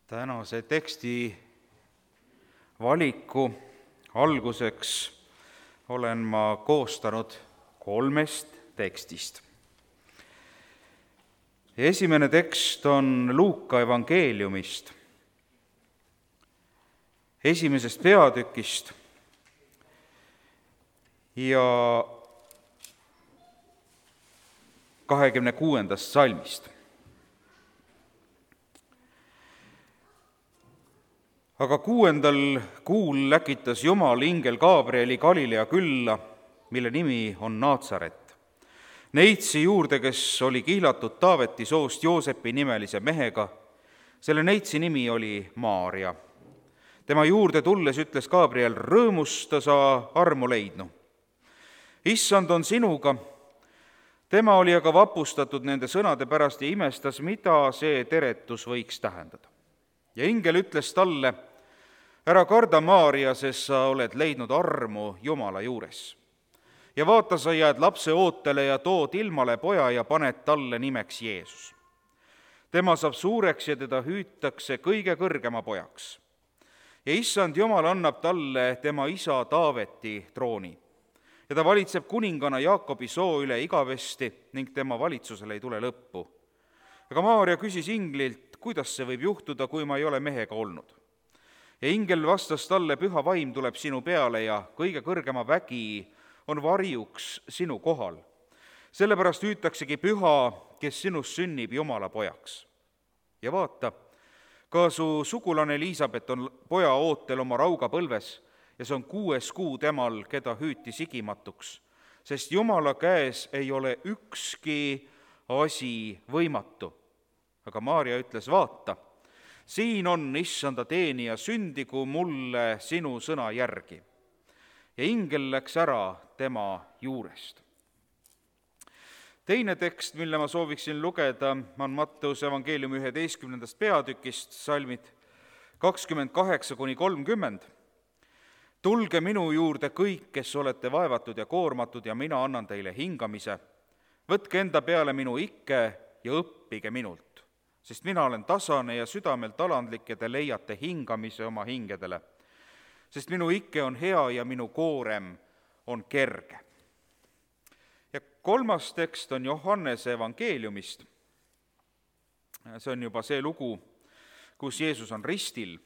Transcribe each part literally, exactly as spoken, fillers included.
Tänase teksti valiku alguseks olen ma koostanud kolmest tekstist. Esimene tekst on Luuka evangeeliumist, esimesest peatükist ja kahekümne kuuendast salmist. Aga kuuendal kuul läkitas Jumal ingel Gabrieli Galilea külla, mille nimi on Naatsaret, neitsi juurde, kes oli kihlatud Taaveti soost Joosepi nimelise mehega. Selle neitsi nimi oli Maaria. Tema juurde tulles ütles Gabriel: rõõmusta, sa armu leidnu. Issand on sinuga. Tema oli aga vapustatud nende sõnade pärast ja imestas, mida see teretus võiks tähendada. Ja ingel ütles talle: ära karda, Maaria, sest sa oled leidnud armu Jumala juures. Ja vaata, sa jääd lapse ootele ja tood ilmale poja ja paned talle nimeks Jeesus. Tema saab suureks ja teda hüütakse kõige kõrgema pojaks. Ja issand Jumal annab talle tema isa Taaveti trooni. Ja ta valitseb kuningana Jaakobi soo üle igavesti ning tema valitsusele ei tule lõppu. Aga Maaria küsis inglilt: kuidas see võib juhtuda, kui ma ei ole mehega olnud? Ja ingel vastas talle: püha vaim tuleb sinu peale ja kõige kõrgema vägi on varjuks sinu kohal. Sellepärast hüütaksegi püha, kes sinust sünnib Jumala pojaks. Ja vaata, ka su sugulane Elisabet on poja ootel oma raugapõlves ja see on kuues kuu temal, keda hüüti sigimatuks, sest Jumala käes ei ole ükski asi võimatu. Aga Maaria ütles: vaata, siin on issanda teenija, sündigu mulle sinu sõna järgi. Ja ingel läks ära tema juurest. Teine tekst, mille ma sooviksin lugeda, on Matteuse evangeeliumi üheteistkümnendast peatükist, salmid kakskümmend kaheksa kuni kolmkümmend. Tulge minu juurde kõik, kes olete vaevatud ja koormatud, ja mina annan teile hingamise. Võtke enda peale minu ikke ja õppige minult, sest mina olen tasane ja südamelt alandlik ja te leiate hingamise oma hingedele. Sest minu ikke on hea ja minu koorem on kerge. Ja kolmas tekst on Johannese evangeeliumist. See on juba see lugu, kus Jeesus on ristil.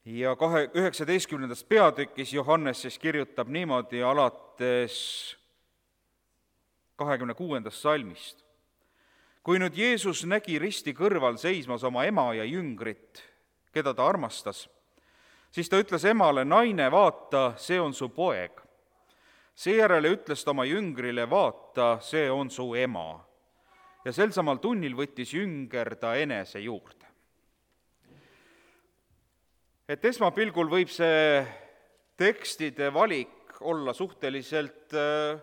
Ja kahe, üheksateistkümnendas peatükis Johannes siis kirjutab niimoodi alates kahekümne kuuendast salmist. Kui nüüd Jeesus nägi risti kõrval seismas oma ema ja jüngrit, keda ta armastas, siis ta ütles emale: naine, vaata, see on su poeg. Seejärele ütles ta oma jüngrile: vaata, see on su ema. Ja sel samal tunnil võttis jünger ta enese juurde. Et esmapilgul võib see tekstide valik olla suhteliselt öö,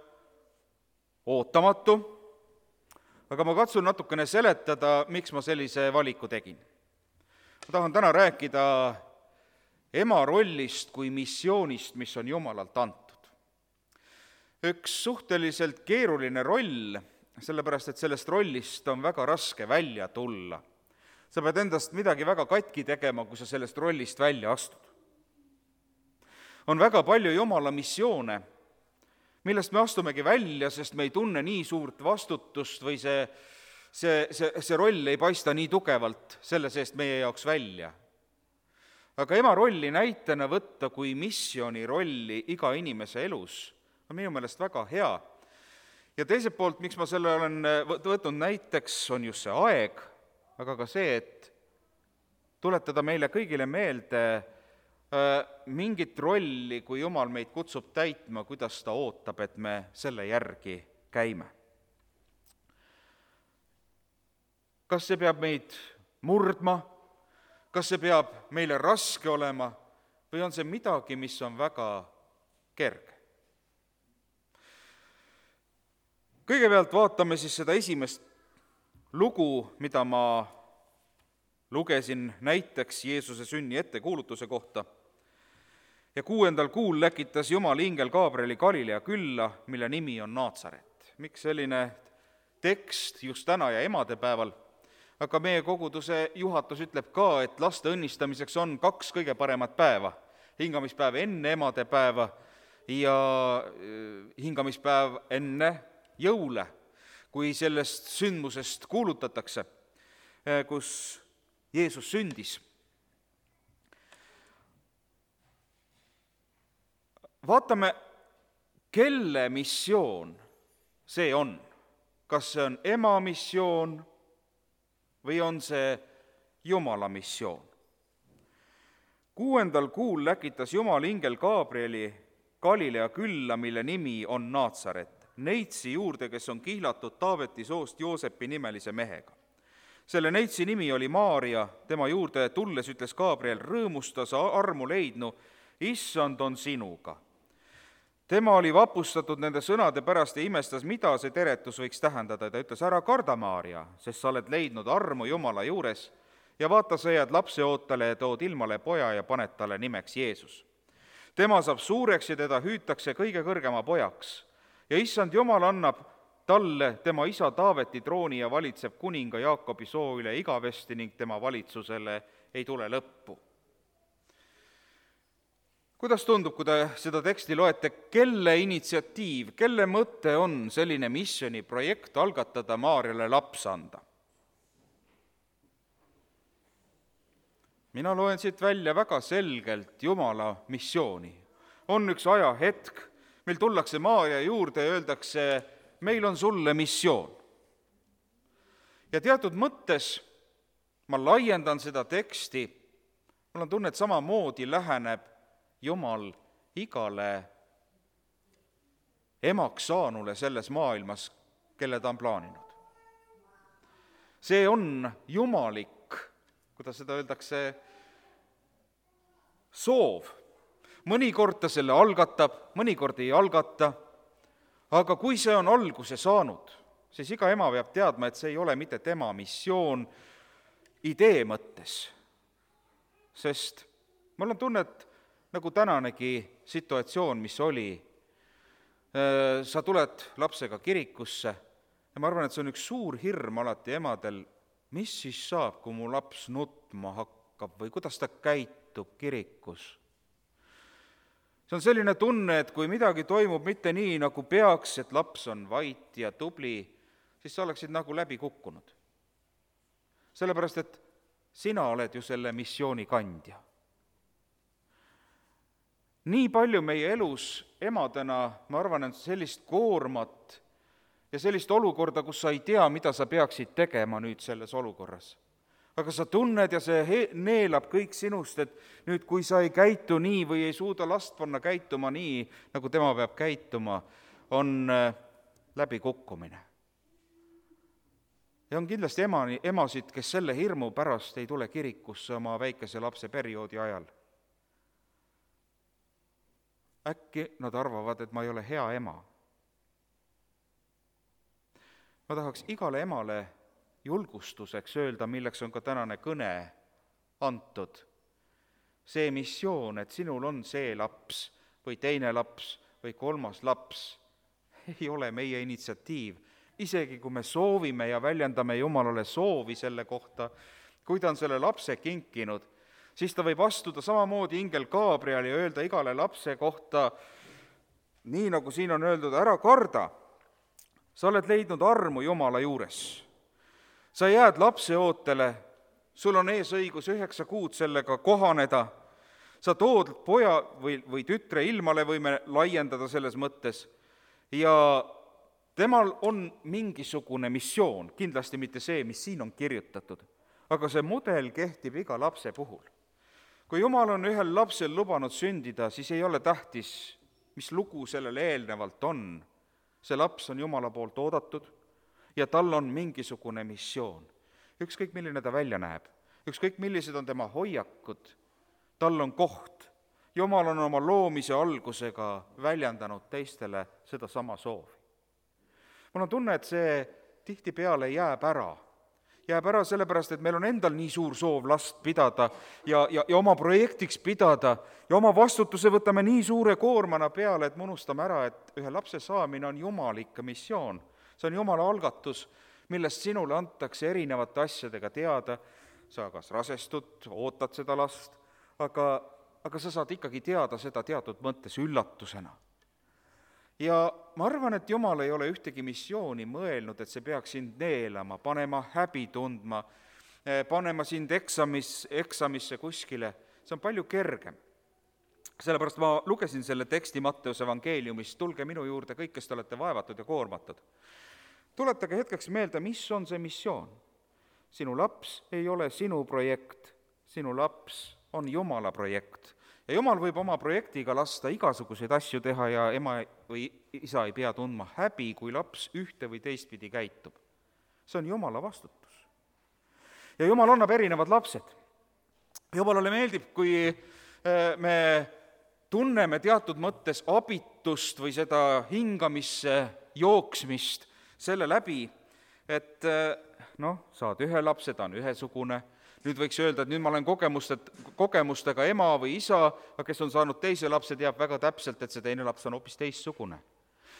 ootamatu, aga ma katsun natukene seletada, miks ma sellise valiku tegin. Ma tahan täna rääkida ema rollist kui missioonist, mis on Jumalalt antud. Üks suhteliselt keeruline roll, sellepärast et sellest rollist on väga raske välja tulla. Sa pead endast midagi väga katki tegema, kui sa sellest rollist välja astud. On väga palju Jumala missioone, millest me astumegi välja, sest me ei tunne nii suurt vastutust või see See, see, see roll ei paista nii tugevalt selle seest meie jaoks välja. Aga ema rolli näitena võtta kui missiooni rolli iga inimese elus on minu meelest väga hea. Ja teiselt poolt, miks ma selle olen võtnud näiteks, on just see aeg, aga ka see, et tuletada meile kõigile meelde äh, mingit rolli, kui Jumal meid kutsub täitma, kuidas ta ootab, et me selle järgi käime. Kas see peab meid murdma, kas see peab meile raske olema või on see midagi, mis on väga kerge? Kõigepealt vaatame siis seda esimest lugu, mida ma lugesin näiteks Jeesuse sünni ettekuulutuse kohta. Ja kuuendal kuul läkitas Jumal ingel Gabrieli Galilea külla, mille nimi on Naatsaret. Miks selline tekst just täna ja emadepäeval? aga meie koguduse juhatus ütleb ka, et laste õnnistamiseks on kaks kõige paremat päeva. Hingamispäev enne emadepäeva ja hingamispäev enne jõule, kui sellest sündmusest kuulutatakse, kus Jeesus sündis. Vaatame, kelle missioon see on. Kas see on ema missioon või on see Jumala missioon? Kuuendal kuul läkitas Jumal ingel Gabrieli Galilea külla, mille nimi on Naatsaret, neitsi juurde, kes on kihlatud Taaveti soost Joosepi nimelise mehega. Selle neitsi nimi oli Maaria, tema juurde tulles ütles Gabriel, rõõmusta, sa armu leidnu, issand on sinuga. Tema oli vapustatud nende sõnade pärast ja imestas, mida see teretus võiks tähendada. Ta ütles, ära karda, Maaria, sest sa oled leidnud armu Jumala juures ja vaata, sa jääd lapseootele ja tood ilmale poja ja paned talle nimeks Jeesus. Tema saab suureks ja teda hüütakse kõige kõrgema pojaks ja issand Jumal annab talle tema isa Taaveti trooni ja valitseb kuninga Jaakobi soo üle igavesti ning tema valitsusele ei tule lõppu. Kuidas tundub, kui te seda teksti loete, kelle initsiatiiv, kelle mõte on selline missiooniprojekt algatada Maarjale laps anda? Mina loen siit välja väga selgelt Jumala missiooni. On üks ajahetk, meil tullakse Maarja juurde ja öeldakse, meil on sulle missioon. Ja teatud mõttes ma laiendan seda teksti, mul on tunne, et samamoodi läheneb Jumal igale emaks saanule selles maailmas, kelle ta on plaaninud. See on jumalik, kuidas seda öeldakse, soov. Mõnikord ta selle algatab, mõnikord ei algata, aga kui see on alguse saanud, siis iga ema peab teadma, et see ei ole mitte tema missioon idee mõttes. Sest mul on tunne, et nagu tänanegi situatsioon, mis oli, sa tuled lapsega kirikusse ja ma arvan, et see on üks suur hirm alati emadel, mis siis saab, kui mu laps nutma hakkab või kuidas ta käitub kirikus. See on selline tunne, et kui midagi toimub mitte nii, nagu peaks, et laps on vait ja tubli, siis sa oleksid nagu läbi kukkunud. Sellepärast, et sina oled ju selle missiooni kandja. Nii palju meie elus emadena, ma arvan, et sellist koormat ja sellist olukorda, kus sa ei tea, mida sa peaksid tegema nüüd selles olukorras. Aga sa tunned ja see he- neelab kõik sinust, et nüüd kui sa ei käitu nii või ei suuda last panna käituma nii, nagu tema peab käituma, on läbi kukkumine. Ja on kindlasti ema, emasid, kes selle hirmu pärast ei tule kirikusse oma väikese lapse perioodi ajal. Äkki nad arvavad, et ma ei ole hea ema. Ma tahaks igale emale julgustuseks öelda, milleks on ka tänane kõne antud. See missioon, et sinul on see laps või teine laps või kolmas laps, ei ole meie initsiatiiv. Isegi kui me soovime ja väljendame Jumalale soovi selle kohta, kui ta on selle lapse kinkinud, siis ta võib astuda samamoodi ingel Gabriel ja öelda igale lapse kohta, nii nagu siin on öeldud, ära karda, sa oled leidnud armu Jumala juures. Sa jääd lapseootele, sul on ees õigus üheksa kuud sellega kohaneda, sa tood poja või, või tütre ilmale, võime laiendada selles mõttes, ja temal on mingisugune missioon, kindlasti mitte see, mis siin on kirjutatud, aga see mudel kehtib iga lapse puhul. Kui Jumal on ühel lapsel lubanud sündida, siis ei ole tähtis, mis lugu sellele eelnevalt on. See laps on Jumala poolt oodatud ja tal on mingisugune missioon. Ükskõik, milline ta välja näeb, ükskõik, millised on tema hoiakud, tal on koht. Jumal on oma loomise algusega väljendanud teistele seda sama soovi. Mul on tunne, et see tihtipeale jääb ära. Jääb ära sellepärast, et meil on endal nii suur soov last pidada ja, ja, ja oma projektiks pidada ja oma vastutuse võtame nii suure koormana peale, et me unustame ära, et ühe lapse saamine on jumalik missioon. See on Jumala algatus, millest sinule antakse erinevate asjadega teada, sa kas rasestud, ootad seda last, aga, aga sa saad ikkagi teada seda teatud mõttes üllatusena. Ja ma arvan, et Jumal ei ole ühtegi missiooni mõelnud, et see peaks sind neelama, panema häbi tundma, panema sind eksamis, eksamisse kuskile, see on palju kergem. Sellepärast ma lugesin selle teksti Matteuse evangeeliumist, tulge minu juurde kõik, kes te olete vaevatud ja koormatud. Tuletage hetkeks meelde, mis on see missioon. Sinu laps ei ole sinu projekt, sinu laps on Jumala projekt. Ja Jumal võib oma projektiga lasta igasuguseid asju teha ja ema või isa ei pea tundma häbi, kui laps ühte või teistpidi käitub. See on Jumala vastutus. Ja Jumal annab erinevad lapsed. Jumalale meeldib, kui me tunneme teatud mõttes abitust või seda hingamisse jooksmist selle läbi, et noh, saad ühe lapse, ta on ühesugune, nüüd võiks öelda, et nüüd ma olen kogemustest, kogemustega ema või isa, aga kes on saanud teise lapse, teab väga täpselt, et see teine laps on hoopis teistsugune.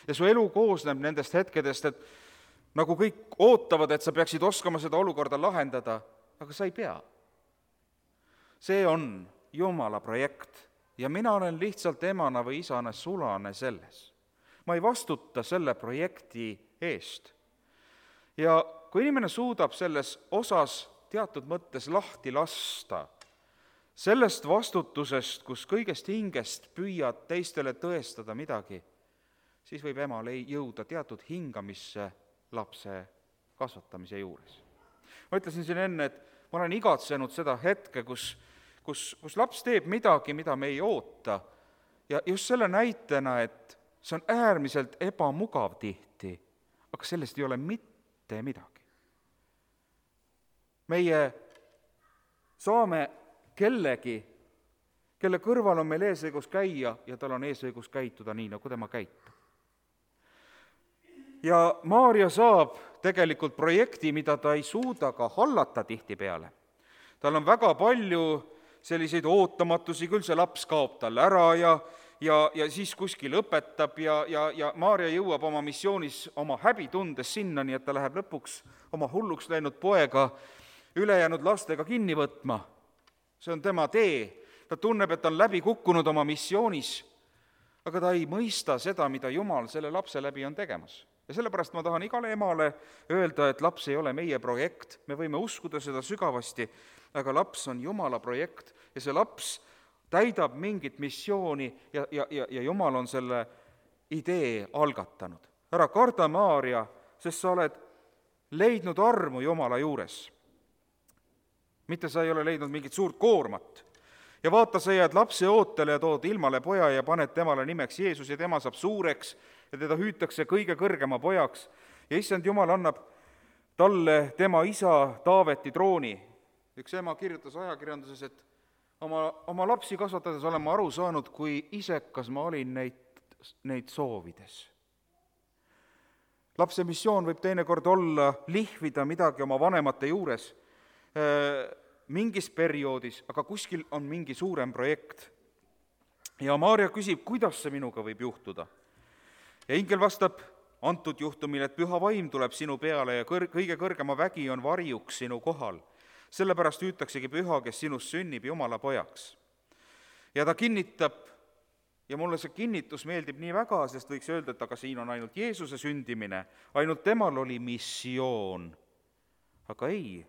Ja su elu koosneb nendest hetkedest, et nagu kõik ootavad, et sa peaksid oskama seda olukorda lahendada, aga sa ei pea. See on Jumala projekt ja mina olen lihtsalt emana või isana sulane selles. Ma ei vastuta selle projekti eest. Ja kui inimene suudab selles osas teatud mõttes lahti lasta sellest vastutusest, kus kõigest hingest püüad teistele tõestada midagi, siis võib emal jõuda teatud hingamisse lapse kasvatamise juures. Ma ütlesin siin enne, et ma olen igatsenud seda hetke, kus Kus, kus laps teeb midagi, mida me ei oota, ja just selle näitena, et see on äärmiselt ebamugav tihti, aga sellest ei ole mitte midagi. Meie saame kellegi, kelle kõrval on meil eesõigus käia ja tal on eesõigus käituda nii, nagu tema käitub. Ja Maarja saab tegelikult projekti, mida ta ei suuda ka hallata tihtipeale. Tal on väga palju selliseid ootamatusi, küll see laps kaob tal ära ja, ja, ja siis kuskil õpetab ja, ja, ja Maarja jõuab oma missioonis oma häbitundes sinna, nii et ta läheb lõpuks oma hulluks läinud poega ülejäänud lastega kinni võtma. See on tema tee. Ta tunneb, et ta on läbi kukkunud oma missioonis, aga ta ei mõista seda, mida Jumal selle lapse läbi on tegemas. Ja sellepärast ma tahan igale emale öelda, et laps ei ole meie projekt, me võime uskuda seda sügavasti, aga laps on Jumala projekt ja see laps täidab mingit missiooni ja, ja, ja, ja Jumal on selle idee algatanud. Ära karda, Maarja, sest sa oled leidnud armu Jumala juures. Mitte sa ei ole leidnud mingit suurt koormat. Ja vaata, sa jääd lapse ootele ja tood ilmale poja ja paned temale nimeks Jeesus ja tema saab suureks ja teda hüütakse kõige kõrgema pojaks. Ja issand Jumal annab talle tema isa Taaveti trooni. Üks ema kirjutas ajakirjanduses, et oma, oma lapsi kasvatades olen ma aru saanud, kui isekas ma olin neid, neid soovides. Lapse missioon võib teinekord olla lihvida midagi oma vanemate juures mingis perioodis, aga kuskil on mingi suurem projekt. Ja Maarja küsib, kuidas see minuga võib juhtuda. Ja ingel vastab antud juhtumil, et püha vaim tuleb sinu peale ja kõr- kõige kõrgema vägi on varjuks sinu kohal. Sellepärast hüütaksegi püha, kes sinust sünnib Jumala pojaks. Ja ta kinnitab, ja mulle see kinnitus meeldib nii väga, sest võiks öelda, et aga siin on ainult Jeesuse sündimine, ainult temal oli missioon. Aga ei,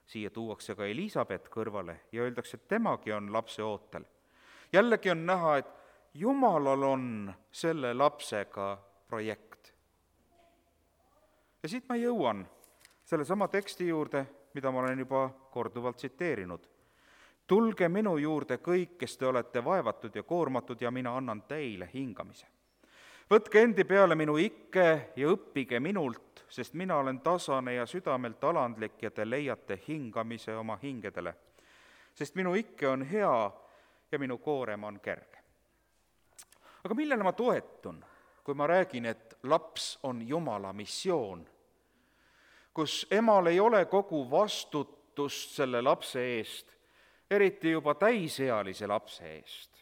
siia tuuakse ka Elisabet kõrvale ja öeldakse, et temagi on lapse ootel. Jällegi on näha, et Jumalal on selle lapsega projekt. Ja siit ma jõuan selle sama teksti juurde, mida ma olen juba korduvalt tsiteerinud. Tulge minu juurde kõik, kes te olete vaevatud ja koormatud ja mina annan teile hingamise. Võtke endi peale minu ikke ja õppige minult, sest mina olen tasane ja südamelt alandlik ja te leiate hingamise oma hingedele. Sest minu ikke on hea ja minu koorem on kerge. Aga millele ma toetun, kui ma räägin, et laps on Jumala missioon, kus emal ei ole kogu vastutust selle lapse eest, eriti juba täisealise lapse eest.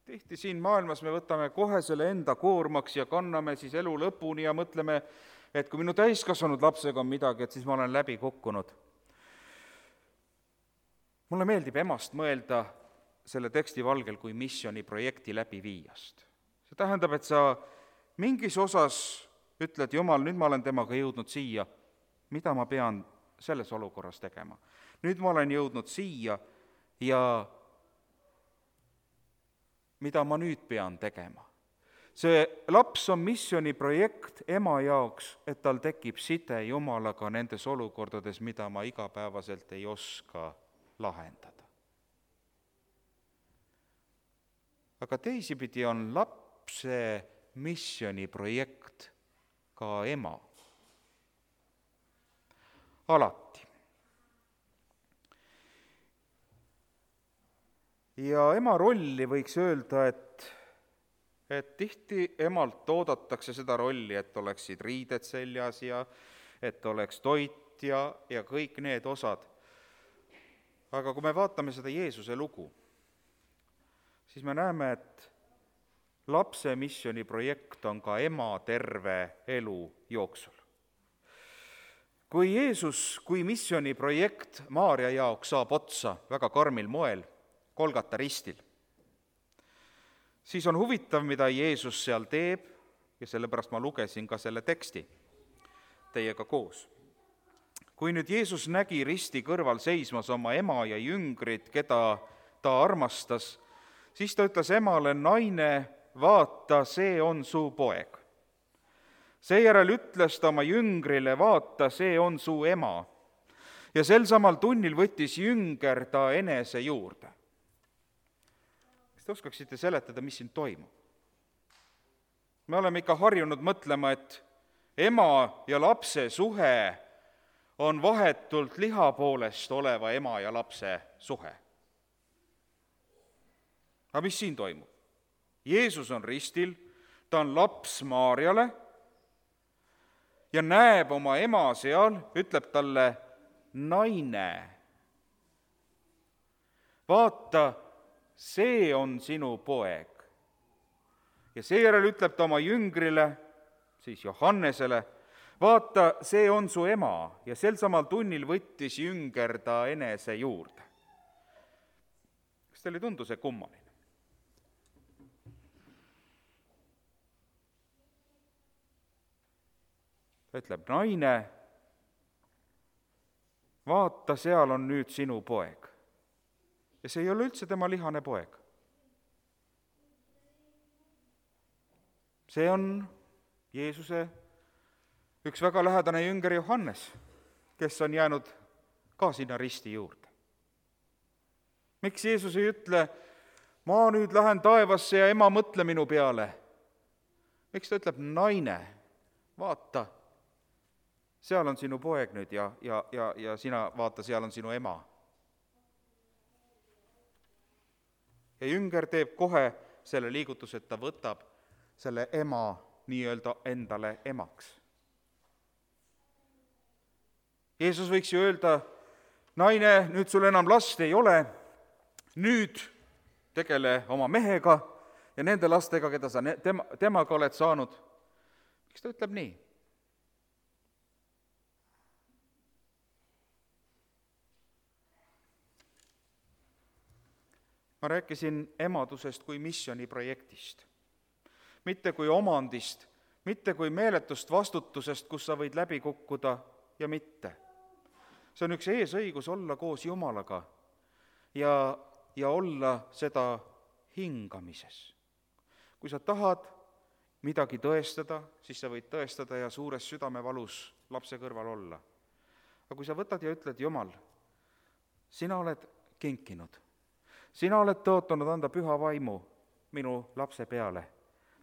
Tihti siin maailmas me võtame kohe selle enda koormaks ja kanname siis elu lõpuni ja mõtleme, et kui minu täiskasvanud lapsega on midagi, et siis ma olen läbi kukkunud. Mulle meeldib emast mõelda selle teksti valgel kui missiooniprojekti läbiviijast. See tähendab, et sa mingis osas ütled, Jumal, nüüd ma olen temaga jõudnud siia, mida ma pean selles olukorras tegema. Nüüd ma olen jõudnud siia ja mida ma nüüd pean tegema. See laps on missiooniprojekt ema jaoks, et tal tekib side Jumalaga nendes olukordades, mida ma igapäevaselt ei oska lahendada. Aga teisipidi on lapse missiooniprojekt ka ema. Alati. Ja ema rolli võiks öelda, et, et tihti emalt oodatakse seda rolli, et oleksid riided seljas ja et oleks toit ja, ja kõik need osad. Aga kui me vaatame seda Jeesuse lugu, siis me näeme, et lapse missiooniprojekt on ka ema terve elu jooksul. Kui Jeesus kui missiooniprojekt Maarja jaoks saab otsa väga karmil moel, Kolgata ristil, siis on huvitav, mida Jeesus seal teeb ja sellepärast ma lugesin ka selle teksti teiega koos. Kui nüüd Jeesus nägi risti kõrval seismas oma ema ja jüngrid, keda ta armastas, siis ta ütles emale, naine, vaata, see on su poeg. Seejärel ütles ta oma jüngrile, vaata, see on su ema. Ja sel samal tunnil võttis jünger ta enese juurde. Kas te oskaksite seletada, mis siin toimub? Me oleme ikka harjunud mõtlema, et ema ja lapse suhe on vahetult liha poolest oleva ema ja lapse suhe. Aga mis siin toimub? Jeesus on ristil, ta on laps Maarjale ja näeb oma ema seal, ütleb talle, naine, vaata, see on sinu poeg. Ja seejärel ütleb ta oma jüngrile, siis Johannesele, vaata, see on su ema, ja sel samal tunnil võttis jünger ta enese juurde. Kas teile ei tundu see kummaline? Ta ütleb, naine, vaata, seal on nüüd sinu poeg. Ja see ei ole üldse tema lihane poeg. See on Jeesuse üks väga lähedane jünger Johannes, kes on jäänud ka sinna risti juurde. Miks Jeesus ei ütle, ma nüüd lähen taevasse ja ema mõtle minu peale? Miks ta ütleb, naine, vaata, seal on sinu poeg nüüd ja, ja, ja, ja sina vaata, seal on sinu ema. Ja jünger teeb kohe selle liigutuse, et ta võtab selle ema nii-öelda endale emaks. Jeesus võiks ju öelda, naine, nüüd sul enam last ei ole, nüüd tegele oma mehega ja nende lastega, keda sa tema, temaga oled saanud. Miks ta ütleb nii? Ma rääkisin emadusest kui missiooniprojektist. Mitte kui omandist, mitte kui meeletust vastutusest, kus sa võid läbi kukkuda ja mitte. See on üks eesõigus olla koos Jumalaga ja, ja olla seda hingamises. Kui sa tahad midagi tõestada, siis sa võid tõestada ja suures südamevalus lapse kõrval olla. Aga kui sa võtad ja ütled, Jumal, sina oled kinkinud, sina oled tõotanud anda püha vaimu minu lapse peale,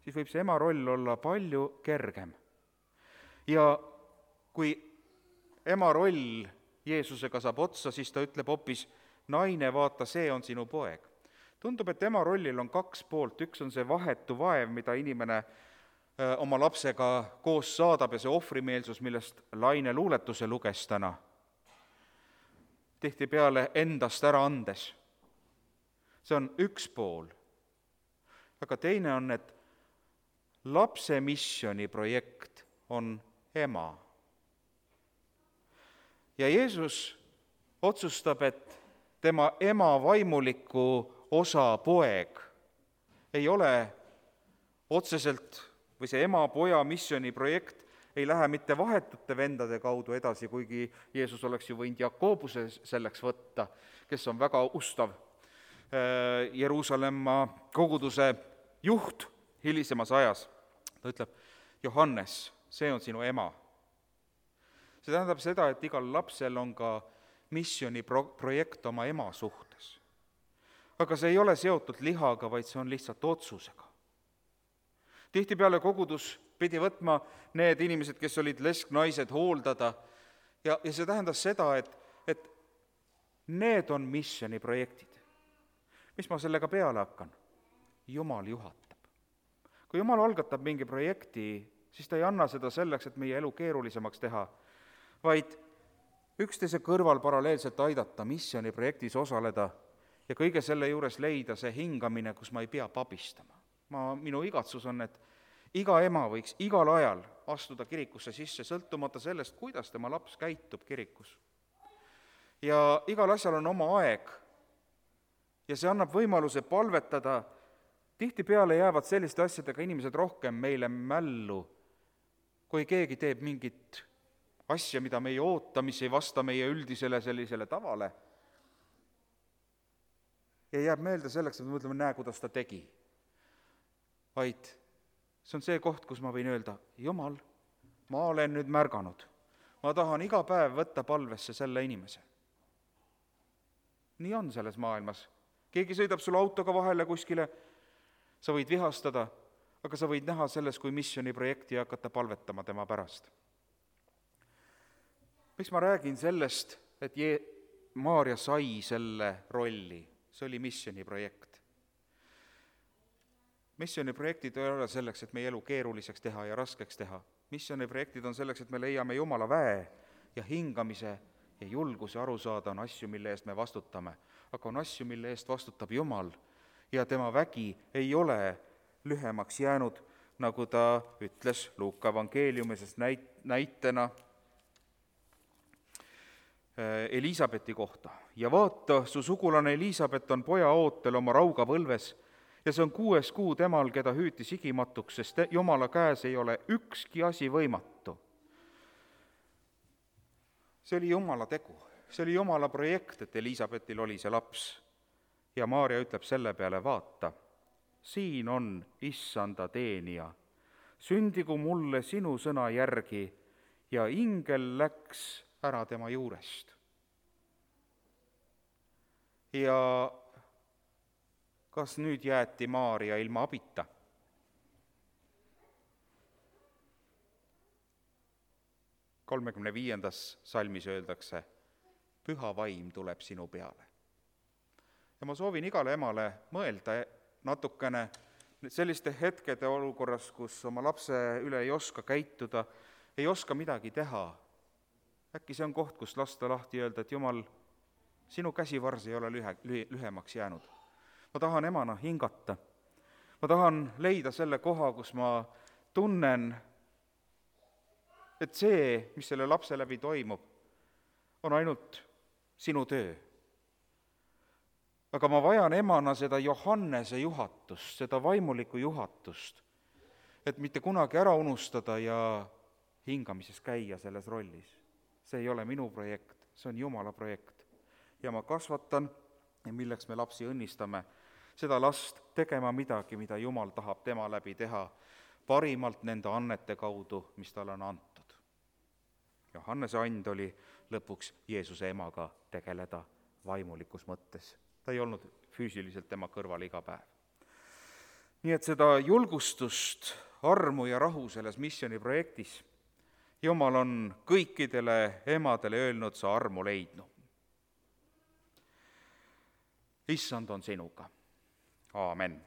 siis võib see ema roll olla palju kergem. Ja kui ema roll Jeesusega saab otsa, siis ta ütleb hoopis, naine, vaata, see on sinu poeg. Tundub, et ema rollil on kaks poolt, üks on see vahetu vaev, mida inimene oma lapsega koos saadab ja see ohvrimeelsus, millest Laine luuletuse luges täna. Tihtipeale endast ära andes. See on üks pool. Aga teine on, et lapse missiooniprojekt on ema. ja Jeesus otsustab, et tema ema vaimuliku osa poeg ei ole otseselt või see ema-poja missiooniprojekt ei lähe mitte vahetute vendade kaudu edasi, kuigi Jeesus oleks ju võinud Jakobuse selleks võtta, kes on väga ustav Jeruusalemma koguduse juht hilisemas ajas. Ta ütleb, Johannes, see on sinu ema. See tähendab seda, et igal lapsel on ka missiooniprojekt oma ema suhtes. Aga see ei ole seotud lihaga, vaid see on lihtsalt otsusega. Tihtipeale kogudus pidi võtma need inimesed, kes olid lesknaised, hooldada ja, ja see tähendas seda, et, et need on missiooniprojektid. Mis ma sellega peale hakkan? Jumal juhatab. Kui Jumal algatab mingi projekti, siis ta ei anna seda selleks, et meie elu keerulisemaks teha, vaid üksteise kõrval paralleelselt aidata missiooniprojektis osaleda ja kõige selle juures leida see hingamine, kus ma ei pea pabistama. Ma, minu igatsus on, et iga ema võiks igal ajal astuda kirikusse sisse, sõltumata sellest, kuidas tema laps käitub kirikus. Ja igal asjal on oma aeg ja see annab võimaluse palvetada. Tihtipeale jäävad selliste asjadega inimesed rohkem meile mällu, kui keegi teeb mingit asja, mida me ei oota, mis ei vasta meie üldisele sellisele tavale. Ja jääb meelde selleks, et me mõtleme, näe, kuidas ta tegi. Vaid see on see koht, kus ma võin öelda, Jumal, ma olen nüüd märganud. Ma tahan iga päev võtta palvesse selle inimese. Nii on selles maailmas. Keegi sõidab sul autoga vahele kuskile, sa võid vihastada, aga sa võid näha selles kui missiooniprojekti ja hakata palvetama tema pärast. Miks ma räägin sellest, et Je- Maaria sai selle rolli? See oli missiooniprojekt. Missiooniprojektid ei ole selleks, et meie elu keeruliseks teha ja raskeks teha. Missiooniprojektid on selleks, et me leiame Jumala väe ja hingamise ja julguse aru saada on asju, mille eest me vastutame. Aga on asju, mille eest vastutab Jumal ja tema vägi ei ole lühemaks jäänud, nagu ta ütles Luuka evangeeliumises näit- näitena Eliisabeti kohta. Ja vaata, su sugulane Eliisabet on poja ootel oma rauga võlves ja see on kuues kuu temal, keda hüüti sigimatuks, sest Jumala käes ei ole ükski asi võimatu. See oli Jumala tegu, see oli Jumala projekt, et Eliisabetil oli see laps. Ja Maaria ütleb selle peale, vaata, siin on issanda teenija, sündigu mulle sinu sõna järgi ja ingel läks ära tema juurest. Ja kas nüüd jäeti Maaria ilma abita? kolmekümne viiendas salmis öeldakse, püha vaim tuleb sinu peale. Ja ma soovin igale emale mõelda natukene selliste hetkede olukorras, kus oma lapse üle ei oska käituda, ei oska midagi teha. Äkki see on koht, kus lasta lahti öelda, et Jumal, sinu käsivars ei ole lühe, lühemaks jäänud. Ma tahan emana hingata. Ma tahan leida selle koha, kus ma tunnen, et see, mis selle lapse läbi toimub, on ainult sinu töö. Aga ma vajan emana seda Johannese juhatust, seda vaimulikku juhatust, et mitte kunagi ära unustada ja hingamises käia selles rollis. See ei ole minu projekt, see on Jumala projekt. Ja ma kasvatan, milleks me lapsi õnnistame, seda last tegema midagi, mida Jumal tahab tema läbi teha, parimalt nende annete kaudu, mis talle on antud. Johannese and oli lõpuks Jeesuse emaga tegeleda vaimulikus mõttes. Ta ei olnud füüsiliselt tema kõrval iga päev. Nii et seda julgustust, armu ja rahu selles missiooniprojektis Jumal on kõikidele emadele öelnud, sa armu leidnu. Issand on sinuga. Aamen.